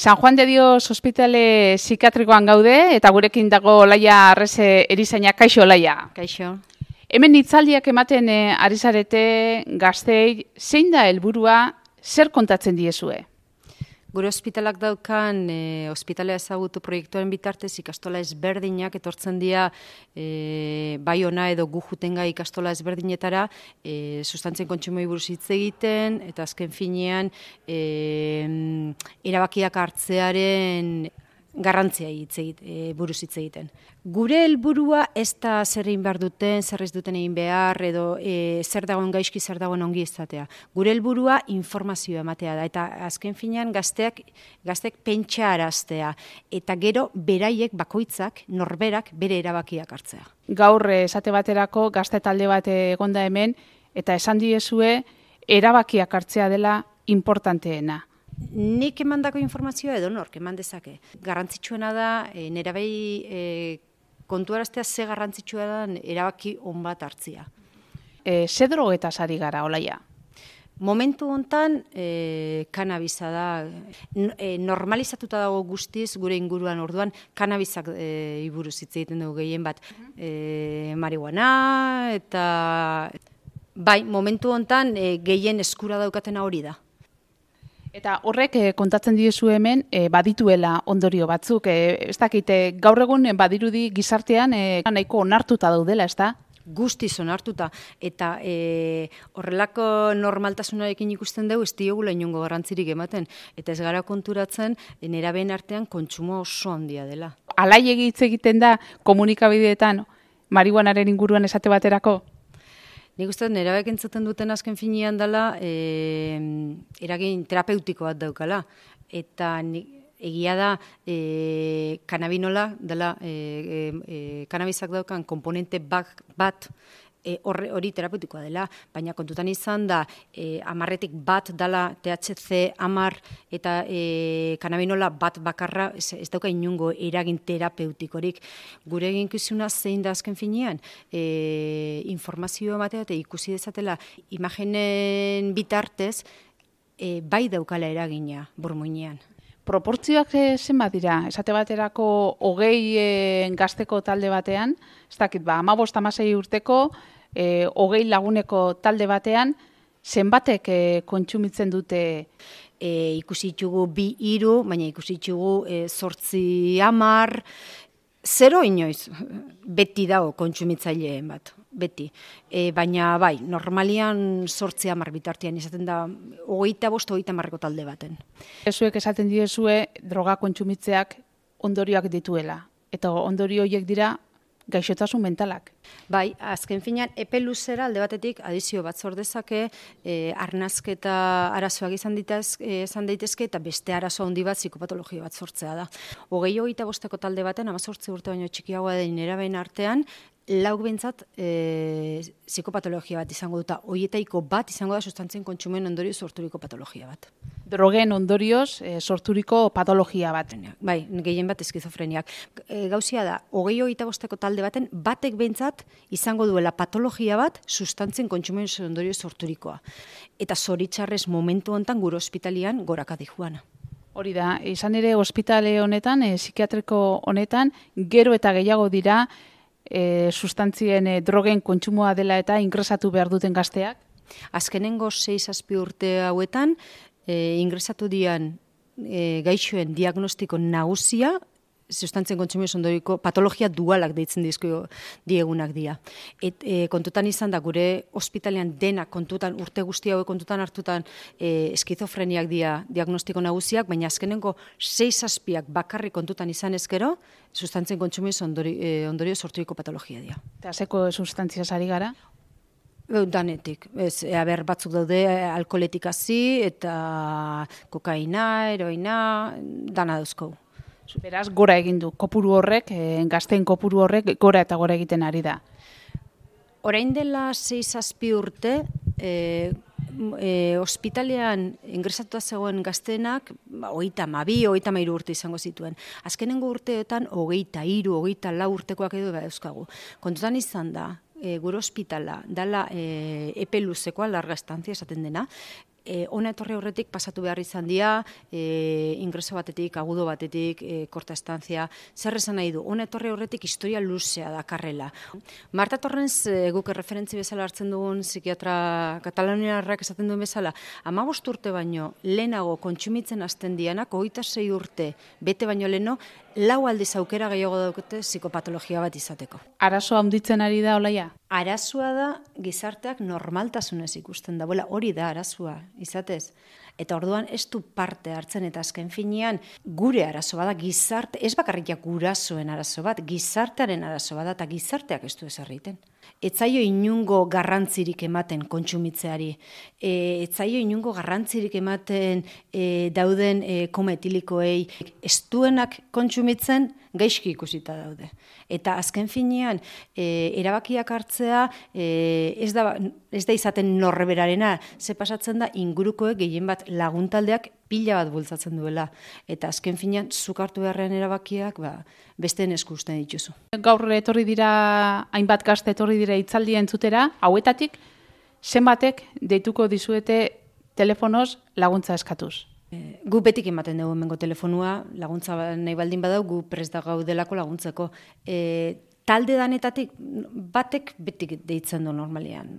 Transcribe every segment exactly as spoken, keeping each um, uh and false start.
San Juan de Dios ospitale psikiatrikoan gaude eta gurekin dago Olaia Arrese erizaina. Kaixo, Olaia. Kaixo. Hemen hitzaldiak ematen eh, ari zarete gazteei, zein da helburua, zer kontatzen diezue? Gure ospitalak daukan e, ospitalea ezagutu proiektuaren bitartez ikastola ezberdinak etortzen dira e, bai ona edo gu jutenga ikastola ezberdinetara e, sustantzien kontsumoi buruz hitz egiten eta azken finean e, erabakiak hartzearen garrantzia hitz egit, e, buruz hitz egiten. Gure helburua ez da zer egin behar duten, zer ez duten egin behar, edo e, zer dagoen gaizki, zer dagoen ongi izatea. Gure helburua informazioa ematea da, eta azken finean gazteak, gazteak pentsa araztea, eta gero beraiek bakoitzak, norberak, bere erabakiak hartzea. Gaur esate baterako gazte talde bat egonda hemen, eta esan diezue erabakiak hartzea dela importanteena. Nik emandako informazioa edo nork eman dezake. Garrantzitsuena da, e, nerabei e, kontuaraztea ze garrantzitsua da erabaki on bat hartzia. E, ze drogetaz ari gara, Olaia? Momentu hontan e, kanabisa da, e, normalizatuta dago guztiz gure inguruan orduan, kanabizak e, iburuz hitz egiten dugu gehien bat. E, marihuana eta bai, momentu hontan e, gehien eskura daukatena hori da. Eta horrek eh, kontatzen diezu hemen eh, badituela ondorio batzuk. Eh, ez dakite, gaur egun eh, badirudi gizartean eh, nahiko onartuta daudela, ez da? Guztiz onartuta. Eta e, horrelako normaltasunarekin ikusten dugu ez diogula inongo garrantzirik ematen. Eta ez gara konturatzen nerabeen artean kontsumo oso handia dela. Alai hitz egiten da komunikabideetan marihuanaren inguruan esate baterako? Nik uste dut nerabek entzuten duten azken finean dela e, eragin terapeutiko bat daukala. Eta nik, egia da e, kanabinola dela e, e, kanabizak daukan komponente bat, bat e, hori terapeutikoa dela, baina kontutan izan da e, amarretik bat dela T H C amar eta e, kanabinola bat bakarra ez, ez dauka inungo eragin terapeutikorik. Gure eginkizuna zein da azken finean e, informazio ematea eta ikusi dezatela imagenen bitartez e, bai daukala eragina burmuinean. Proportzioak zenbat dira? Esate baterako hogei e, gazteko talde batean, ez dakit, ba, hamabost hamasei urteko, e, hogei laguneko talde batean, zenbatek e, kontsumitzen dute? E, ikusi ditugu bi hiru, baina ikusi ditugu e, zortzi hamar, zero inoiz, beti dago kontsumitzaileen bat. Beti. E, baina bai, normalian zortzi hamar bitartean izaten da hogeita bost, hogeita hamarreko talde baten. Ezuek esaten diezue droga kontsumitzeak ondorioak dituela. Eta ondorio horiek dira gaixotasun mentalak. Bai, azken finean, epe luzera alde batetik adizio bat zor dezake, e, arnazketa arazoak izan, ditaz, e, izan daitezke eta beste arazo handi bat psikopatologia bat sortzea da. Hogei hogeita bosteko talde baten, hamazortzi urte baino txikiagoa den nerabeen artean, lauk behintzat e, psikopatologia bat izango duta. Hoietaiko bat izango da sustantzien kontsumen ondorio sorturiko patologia bat. Drogen ondorioz e, sorturiko patologia bat. Bai, gehien bat eskizofreniak. E, gauzia da, hogei hogeita bosteko talde baten, batek behintzat izango duela patologia bat sustantzien kontsumen ondorio sorturikoa. Eta zoritxarrez momentu honetan gure ospitalian goraka dijuana. Hori da, izan ere ospitale honetan, e, psikiatriko honetan, gero eta gehiago dira, E, sustantzien e, drogen kontsumoa dela eta ingresatu behar duten gazteak? Azkenengo sei zazpi urte hauetan, e, ingresatu dian e, gaixoen diagnostiko nagusia, sustantzien kontsumioz ondoriko patologia dualak deitzen dizko diegunak dira. Et, e, kontutan izan da gure ospitalean dena kontutan, urte guzti hauek kontutan hartutan e, eskizofreniak dira diagnostiko nagusiak, baina azkenengo sei zazpiak bakarrik kontutan izan ezkero, sustantzien kontsumioz ondori, e, ondorio sorturiko patologia dira. Eta zeko sustantziaz ari gara? Danetik. Ez, e, aber, batzuk daude alkoholetik hasi eta kokaina, heroina, dana dauzko. Beraz, gora egin du. Kopuru horrek, e, gazteen kopuru horrek, gora eta gora egiten ari da. Orain dela sei zazpi urte, e, e, ospitalean ingresatuta zegoen gazteenak, hogeita hamabi, hogeita hamairu urte izango zituen. Azkenengo urteetan, hogeita hiru, hogeita lau urtekoak edo dauzkagu. Kontutan izan da, e, gure ospitala, dala e, epe luzekoa, larga estantzia esaten dena, E, Hona etorri aurretik pasatu behar izan dira, e, ingreso batetik, agudo batetik, e, korta estantzia, zer esan nahi du, hona etorri aurretik historia luzea dakarrela. Marta Torrens, e, guk referentzi bezala hartzen dugun psikiatra kataloniarrak esaten duen bezala, hamabost urte baino lehenago kontsumitzen hasten dianak, hogeita sei urte bete baino leheno, lau aldiz aukera gehiago daukete psikopatologia bat izateko. Arazoa handitzen ari da, Olaia? Arazoa da gizarteak normaltasunez ikusten da, bola, hori da arazoa, izatez. Eta orduan ez du parte hartzen, eta azken finean gure arazo bada, gizarte, ez bakarriak gurasoen arazo bat, gizartearen arazo bada, eta gizarteak ez du ez egiten. Ez zaio inungo garrantzirik ematen kontsumitzeari, e, ez zaio inungo garrantzirik ematen e, dauden e, koma etilikoei, ez duenak kontsumitzen gaizki ikusita daude. Eta azken finean, e, erabakiak hartzea e, ez, da, ez da izaten norberarena, ze pasatzen da ingurukoek gehien bat laguntaldeak pila bat bultzatzen duela. Eta azken finean, zuk hartu beharrean erabakiak ba, besteen esku uzten dituzu. Gaur etorri dira, hainbat gazte etorri dira hitzaldia entzutera, hauetatik, zenbatek deituko dizuete telefonoz laguntza eskatuz? Gu betik ematen dugu hemengo telefonua, laguntza nahi baldin badau, gu prest da gaudelako laguntzeko. E, talde danetatik batek betik deitzen du normalian,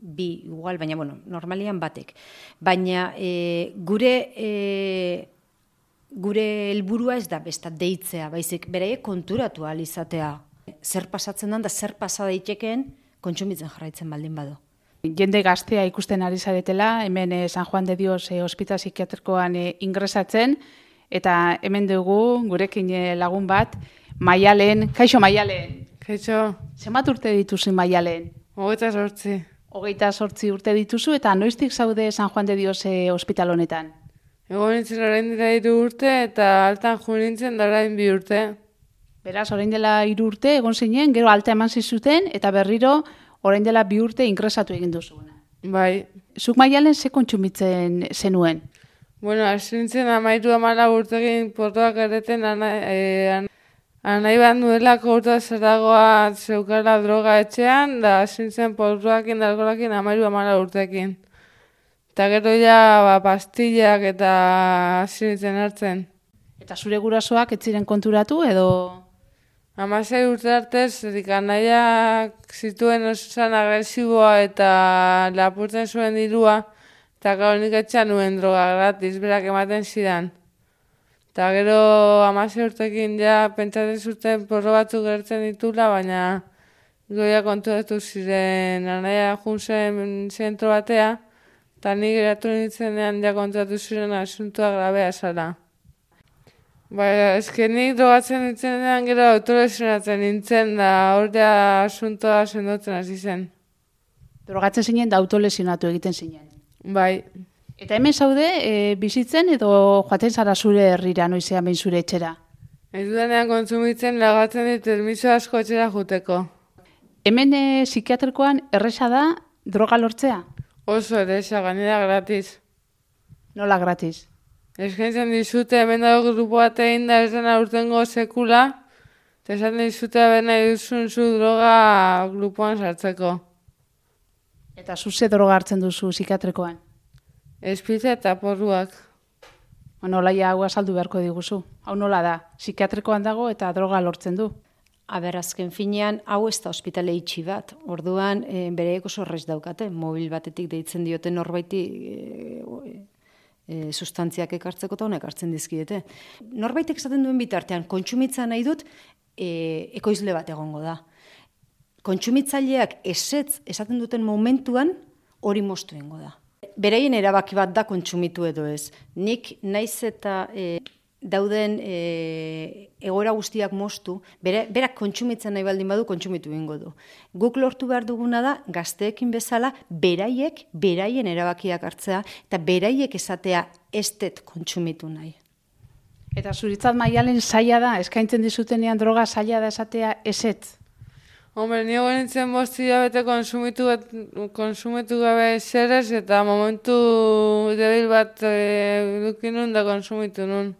bi igual, baina bueno, normalian batek. Baina e, gure e, gure helburua ez da besta deitzea, baizik beraiek konturatu ahal izatea. Zer pasatzen da, zer pasa daitekeen kontsumitzen jarraitzen baldin badu. Jende gaztea ikusten ari zaretela, hemen eh, San Juan de Dios eh, ospital psikiatrikoan eh, ingresatzen, eta hemen dugu gurekin eh, lagun bat, Maialen. Kaixo, Maialen. Kaixo. Zenbat urte dituzu, Maialen? Hogeita sortzi. Hogeita sortzi urte dituzu, eta noiztik zaude San Juan de Dios eh, ospital honetan? Egon nintzen orain dira hiru urte, eta altan jo nintzen da orain bi urte. Beraz, orain dela hiru urte egon zinen, gero alta eman zizuten, eta berriro orain dela bi urte ingresatu egin duzuna. Bai. Zuk, Maialen, ze kontsumitzen zenuen? Bueno, hasi nintzen amairu amala urtegin portoak erreten anai, e, anai bat nuelako urta zeragoa zeukala droga etxean, da hasi nintzen portoakin, alkoholakin amairu amala urtekin. Eta gero ja ba, pastillak eta hasi nintzen hartzen. Eta zure gurasoak ez ziren konturatu edo... Hamasei urte arte, zerik anaiak zituen osan agresiboa eta lapurtzen zuen dirua, eta gero nik etxean nuen droga gratis, berak ematen zidan. Eta gero hamasei urtekin ja pentsatzen zuten porro batzuk gertzen ditula, baina goia konturatu ziren anaia jun zen zentro batea, eta nik geratu nintzenean ja konturatu ziren asuntua grabea zara. Baina, eskenik drogatzen nintzen gero autolesionatzen nintzen, da hor ja asuntoa sendotzen hasi zen. Drogatzen zinen da autolesionatu egiten zinen. Bai. Eta hemen zaude, e, bizitzen edo joaten zara zure herrira noizean behin zure etxera? Ez dudanean kontsumitzen lagatzen dit permiso asko etxera juteko. Hemen e, psikiatrikoan erresa da droga lortzea? Oso erresa, gainera gratis. Nola gratis? Eskaintzen dizute, hemen dago grupo bat egin da ez dena urtengo sekula, eta esan dizute behar nahi duzun zu droga grupoan sartzeko. Eta zu ze droga hartzen duzu psikiatrikoan? Espitza eta porruak. Bueno, Olaia, hau azaldu beharko diguzu. Hau nola da, psikiatrikoan dago eta droga lortzen du. Aber, azken finean, hau ez da ospitale itxi bat. Orduan, e, bereek oso horrez daukate, mobil batetik deitzen diote norbaiti... E, E, sustantziak ekartzeko eta honek hartzen dizkidete. Norbaitek esaten duen bitartean, kontsumitza nahi dut, e, ekoizle bat egongo da. Kontsumitzaileak esetz esaten duten momentuan hori moztu egingo da. Beraien erabaki bat da kontsumitu edo ez. Nik naiz eta e, dauden e, egoera guztiak moztu, bere, berak kontsumitzen nahi baldin badu, kontsumitu egingo du. Guk lortu behar duguna da, gazteekin bezala, beraiek, beraien erabakiak hartzea, eta beraiek esatea ez dut kontsumitu nahi. Eta zuritzat, Maialen, zaila da, eskaintzen dizutenean droga zaila da esatea ezetz? Hombre, nio nintzen bosti jabete konsumitu, konsumitu gabe zerez, eta momentu debil bat e, dukin nun da konsumitu nun.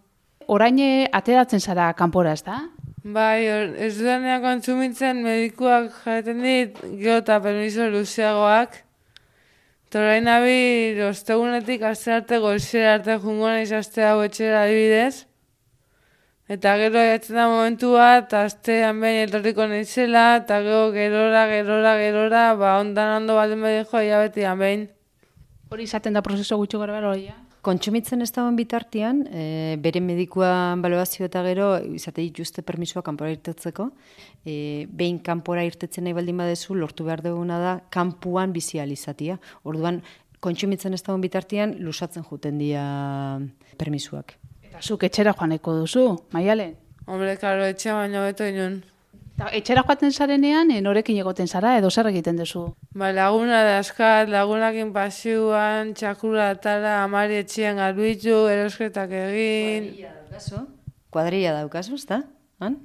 Orain ateratzen zara kanpora, ez da? Bai, ez dudanean kontsumitzen medikuak jaten dit, gero eta permiso luzeagoak, Eta orain nabil, ostegunetik aste arte goizera arte jungo naiz aste hau etxera adibidez. Eta gero jatzen da momentu bat, astean behin etorriko naizela, eta gero gerora, gerora, gerora, ba ondan ondo baldin badijo, hilabetian behin. Hori izaten da prozeso gutxi gara bero, ja? Kontsumitzen ez dagoen bitartean, e, bere medikua balorazio eta gero, izate dituzte permisua kanpora irtetzeko, e, behin kanpora irtetzen nahi baldin badezu, lortu behar duguna da, kanpuan bizi izatea. Orduan, kontsumitzen ez dagoen bitartean, lusatzen juten dira permisuak. Eta zuk etxera joaneko duzu, Maialen? Hombre, karo, etxe baino beto inun. Eta etxera joaten zarenean, norekin egoten zara, edo zer egiten duzu? Ba, laguna da askat, lagunakin pasioan, txakura atara, amari etxean garbitu, erosketak egin. Kuadrilla daukazu? Kuadrilla daukazu, ez da? Han?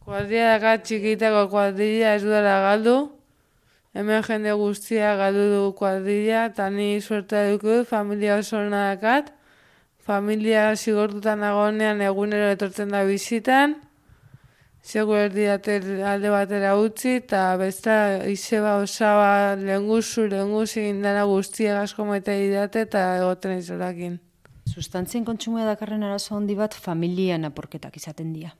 Kuadrilla daka txikitako kuadrilla ez dudala galdu. Hemen jende guztia galdu du kuadrilla, eta ni suerta dukut, familia oso hona dakat. Familia zigortutan nagonean egunero etortzen da bizitan. Segur erdi alde batera utzi, eta besta izeba osaba lehenguzu, lehenguzi indana guztia asko maite didate eta egoten izorakin. Sustantzien kontsumoa dakarren arazo handi bat familian aporketak izaten dira.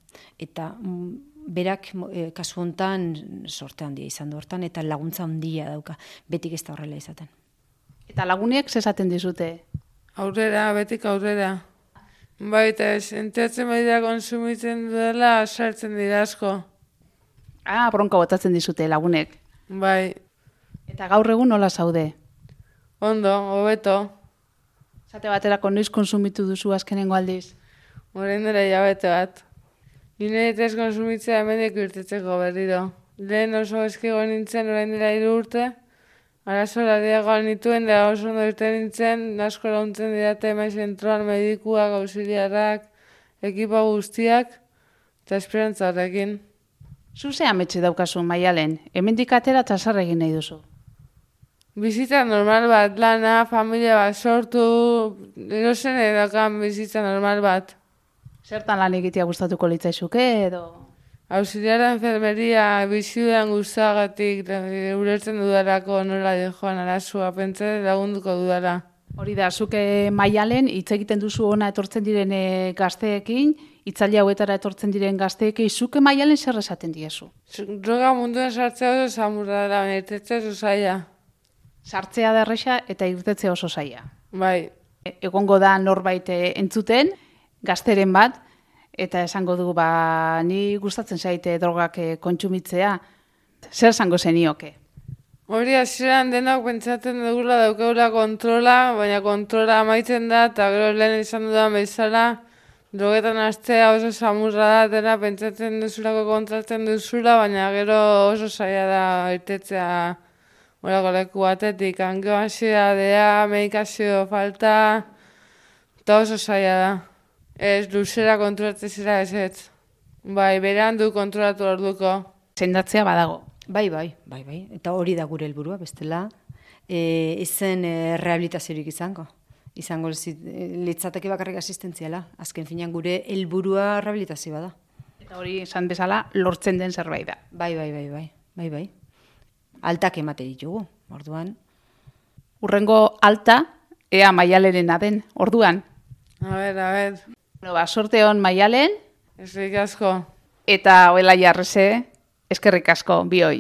Eta mm, berak e, kasu hontan sorte handia izan du hortan eta laguntza handia dauka. Betik ez da horrela izaten. Eta lagunek zesaten dizute? Aurrera, betik aurrera. Baita ez, enteatzen baita konsumitzen dela, sartzen dira asko. Ah, bronka botatzen dizute lagunek. Bai. Eta gaur egun nola zaude? Ondo, hobeto. Zate baterako noiz konsumitu duzu azkenengo aldiz? Orain dela hilabete bat. Nire ez konsumitzea hemendik irtetzeko berriro. Lehen oso eskigo nintzen orain dela hiru urte. Arazo larriagoan nituen, da oso ondo irten nintzen, asko launtzen didate emai zentroan medikuak, auxiliarrak, ekipa guztiak, eta esperantza horrekin. Zu ze ametxe daukazu, Maialen? Hemendik atera eta zer egin nahi duzu? Bizitza normal bat, lana, familia bat sortu, erosen edakan bizitza normal bat. Zertan lan egitea gustatuko litzaizuke edo? Auxiliara enfermeria bizidudan guztagatik ulertzen dudarako nola joan arazua, pentsa lagunduko dudara. Hori da, zuke Maialen hitz egiten duzu ona etortzen diren gazteekin, hitzaldi hauetara etortzen diren gazteekin, zuke Maialen zer esaten diezu? Droga munduen sartzea oso samurra da, baina irtetzea oso zaila. Sartzea da erresa eta irtetzea oso zaila. Bai. Egongo da norbait entzuten, gazteren bat, eta esango du, ba, ni gustatzen zaite drogak kontsumitzea, zer esango zenioke? Hori hasieran denok pentsatzen dugula daukagula kontrola, baina kontrola amaitzen da, eta gero lehen izan dudan bezala, drogetan hastea oso samurra da, dena pentsatzen duzulako kontratzen duzula, baina gero oso zaila da irtetzea horako leku batetik, angeoansiedadea, medikazio falta, eta oso zaila da. Ez, luzera kontrolatzen zira ez ez. Bai, berean du kontrolatu orduko. Sendatzea badago. Bai, bai, bai, bai. Eta hori da gure helburua, bestela. E, izen e, rehabilitaziorik izango. Izango litzateke bakarrik asistentziala. Azken finean gure helburua rehabilitazioa da. Eta hori esan bezala lortzen den zerbait da. Bai, bai, bai, bai, bai, bai. Altak emate ditugu, orduan. Urrengo alta, ea Maialerena den, orduan. A ber, a ber. Bueno, ba, sorte hon Maialen. Eskerrik asko. Eta hoela jarrese, eskerrik asko, bioi.